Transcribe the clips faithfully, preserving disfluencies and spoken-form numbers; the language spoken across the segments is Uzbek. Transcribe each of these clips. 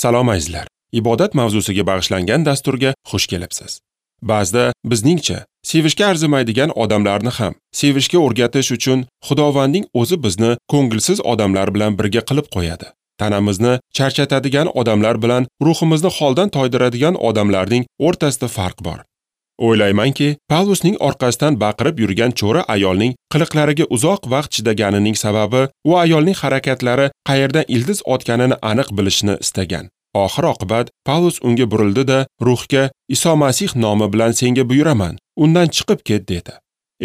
Salom azizlar. Ibodat mavzusiga bag'ishlangan dasturga xush kelibsiz. Ba'zida bizningcha sevishga arzimaydigan odamlarni ham sevishga o'rgatish uchun Xudovandning o'zi bizni ko'ngilsiz odamlar bilan birga qilib qo'yadi. Tanamizni charchatadigan odamlar bilan ruhimizni holdan toydiradigan odamlarning o'rtasida farq bor. O'ylaymanki, Pavlusning orqasidan baqirib yurgan cho'ri ayolning qiliqlariga uzoq vaqt chidaganining sababi u ayolning harakatlari qayerdan ildiz otganini aniq bilishni istagan. Oxir oqibat Pavlus unga burildi-da, ruhga Iso Masih nomi bilan senga buyuraman, undan chiqib ket dedi.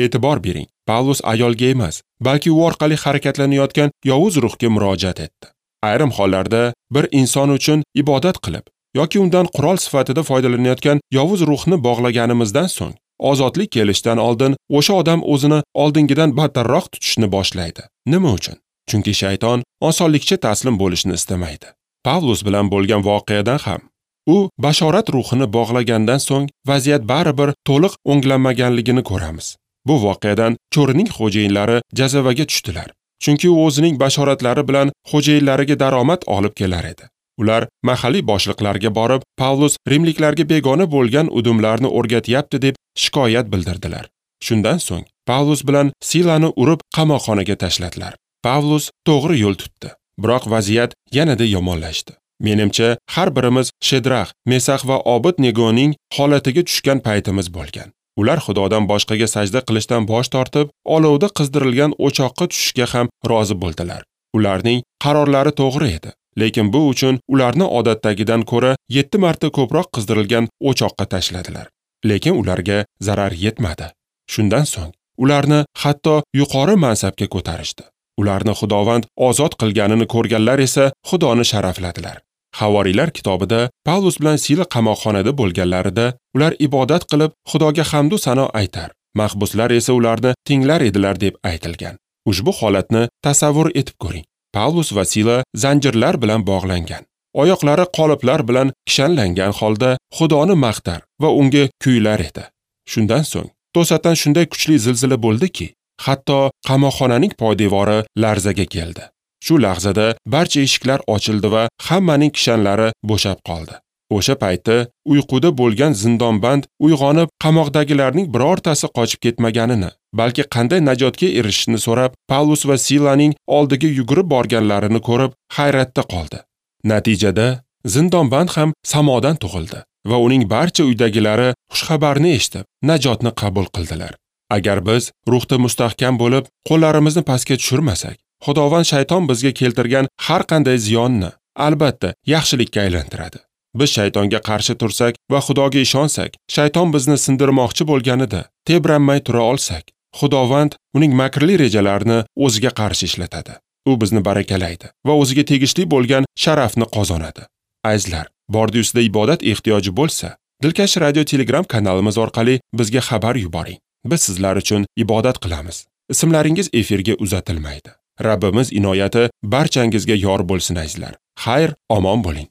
E'tibor bering, Pavlus ayolga emas, balki u orqali harakatlanayotgan yovuz ruhga murojaat etdi. Ayrim hollarda bir inson uchun ibodat qilib yoki undan qurol sifatida foydalanayotgan yovuz ruhni bog'laganimizdan so'ng, ozodlik kelishdan oldin o'sha odam o'zini oldingidan battarroq tutishni boshlaydi. Nima uchun? Chunki shayton osonlikcha taslim bo'lishni istamaydi. Pavlus bilan bo'lgan voqeadan ham u bashorat ruhini bog'lagandan so'ng vaziyat baribir to'liq o'nglanmaganligini ko'ramiz. Bu voqeadan cho'rining xo'jayinlari jazavaga tushdilar. Chunki u o'zining bashoratlari bilan xo'jayinlariga daromad olib kelar edi. Ular mahalliy boshliqlarga borib, Pavlus rimliklarga begona bo'lgan udumlarni o'rgatyapti deb shikoyat bildirdilar. Shundan so'ng Pavlus bilan Silani urib qamoqxonaga tashladilar. Pavlus to'g'ri yo'l tutdi. Biroq vaziyat yanada yomonlashdi. Menimcha, har birimiz Shedrax, Mesax va Obid-Negoning holatiga tushgan paytimiz bo'lgan. Ular Xudodan boshqaga sajda qilishdan bosh tortib, olovda qizdirilgan o'choqqa tushishga ham rozi bo'ldilar. Ularning qarorlari to'g'ri edi, lekin bu uchun ularni odatdagidan ko'ra yetti marta ko'proq qizdirilgan o'choqqa tashladilar. Lekin ularga zarar yetmadi. Shundan so'ng ularni hatto yuqori mansabga ko'tarishdi. Ularni Xudovand ozod qilganini ko'rganlar esa Xudoni sharafladilar. Havoriylar kitobida Pavlus bilan Sila qamoqxonada bo'lganlarida ular ibodat qilib Xudoga hamd va sano aytar, mahbuslar esa ularni tinglar edilar deb aytilgan. Ushbu holatni tasavvur etib ko'ring. Pavlus va Sila zanjirlar bilan bog'langan, oyoqlari qoliplar bilan kishanlangan holda Xudoni maqtar va unga kuylar edi. Shundan so'ng to'satdan shunday kuchli zilzila bo'ldiki, hatto qamoqxonaning poydevori larzaga keldi. Shu lahzada barcha eshiklar ochildi va hammaning kishanlari bo'shab qoldi. O'sha payti uyquda bo'lgan zindonband uyg'onib, qamoqdagilarning birortasi qochib ketmaganini, balki qanday najotga erishishni so'rab, Pavlus va Silaning oldiga yugurib borganlarini ko'rib hayratda qoldi. Natijada zindonband ham samodan tug'ildi va uning barcha uydagilari xushxabarni eshitib, najotni qabul qildilar. Agar biz ruhda mustahkam bo'lib, qo'llarimizni pastga tushirmasak, Xudovand shayton bizga keltirgan har qanday ziyonni albatta yaxshilikka aylantiradi. Biz shaytonga qarshi tursak va Xudoga ishonsak, shayton bizni sindirmoqchi bo'lganida tebranmay tura olsak, Xudovand uning makrli rejalarini o'ziga qarshi ishlatadi. U bizni barakalaydi va o'ziga tegishli bo'lgan sharafni qozonadi. Azizlar, bordi-ustida ibodat ehtiyoji bo'lsa, Dilkash radio Telegram kanalimiz orqali bizga xabar yuboring. Biz sizlar uchun ibodat qilamiz. Ismlaringiz efirga uzatilmaydi. Rabbimiz inoyati barchangizga yor bo'lsin azizlar. Xayr, omon bo'ling.